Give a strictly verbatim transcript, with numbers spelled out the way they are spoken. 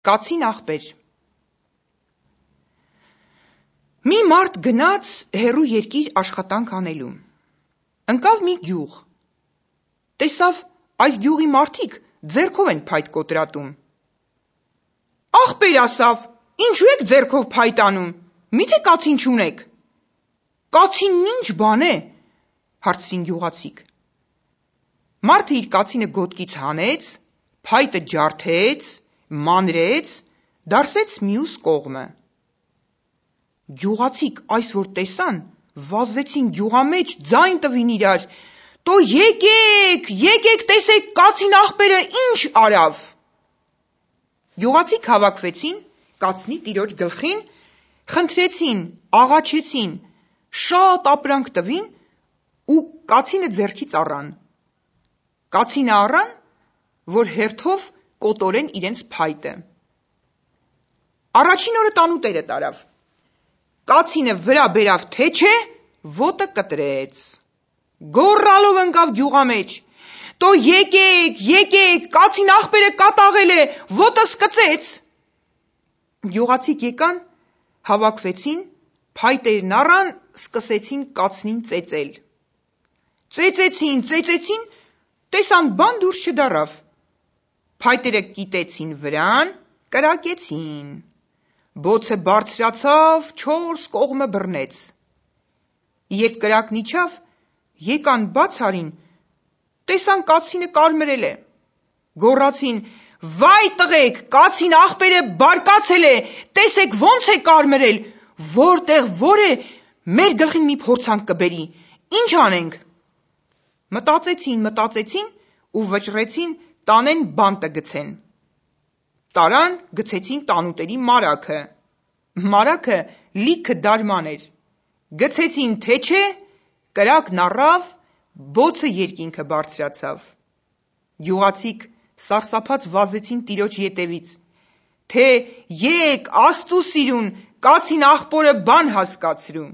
Կացին աղբեր։ Մի մարդ գնաց հեռու երկիր աշխատանք անելու։ Ընկավ մի գյուղ։ Տեսավ այս գյուղի մարդիկ ձեռքով են փայտ կոտրատում։ Աղբեր ասավ, ինչու եք ձեռքով փայտ անում, միթե կացին չունեք։ Կացինն ինչ բան է, հարցրին գյուղացիք։ Մարդը իր կացինը գոտկից հանեց, փայտը ջարդեց, մանրեց, դարսեց մյուս կողմը։ Գյուղացիք այս որ տեսան, վազեցին գյուղամեջ, ձայն տվին իրար. «Տո եկեք, եկեք տեսեք կացին աղբերը ինչ արավ»։ Գյուղացիք հավաքվեցին, կացնի տիրոջ գլխին, խնդրեցին, աղաչեցին, շատ ապրանք տվին ու կացինը ձեռքից առան։ Կացինը առան, որ հերթով կոտորեն իրենց փայտը։ Առաջին օրը տանուտերը տարավ։ Կացինը վրա բերավ թեչե, ոտը կտրեց։ Գոռալով ընկավ գյուղամեջ. «Տո եկեք, եկեք, կացին աղբերը կատաղել է, ոտս կծեց»։ Գյուղացիք եկան, հավաքվեցին, փայտերն առան, սկսեցին կացնին ծեծել։ Ծեծեցին, ծեծեցին, տեսան բան դուրս չդառավ։ Փայտերը կիտեցին վրան, կրակեցին։ Բոցը բարձրացավ, չորս կողմը բռնեց։ Երբ կրակն իջավ, եկան բաց արին, տեսան կացինը կարմրել է։ Գոռացին. «Վայ տղեկ, կացին աղբերը բարկացել է, տեսեք ոնց է կարմրել, որտեղ որ է, մեր գլխին մի փորձանք կբերի, ինչ անենք»։ Մտածեցին, մտածեցին ու վճռեցին տանեն բանտը գցեն։ Տարան, գցեցին տանուտերի մարագը։ Մարագը լիքը դարման էր։ Գցեցին թեչե, կրակն առավ, բոցը երկինքը բարձրացավ։ Գյուղացիք սարսափած վազեցին տիրոջ ետևից, թե եկ, Աստծու սիրուն, կացին աղբորը բան հասկացրու։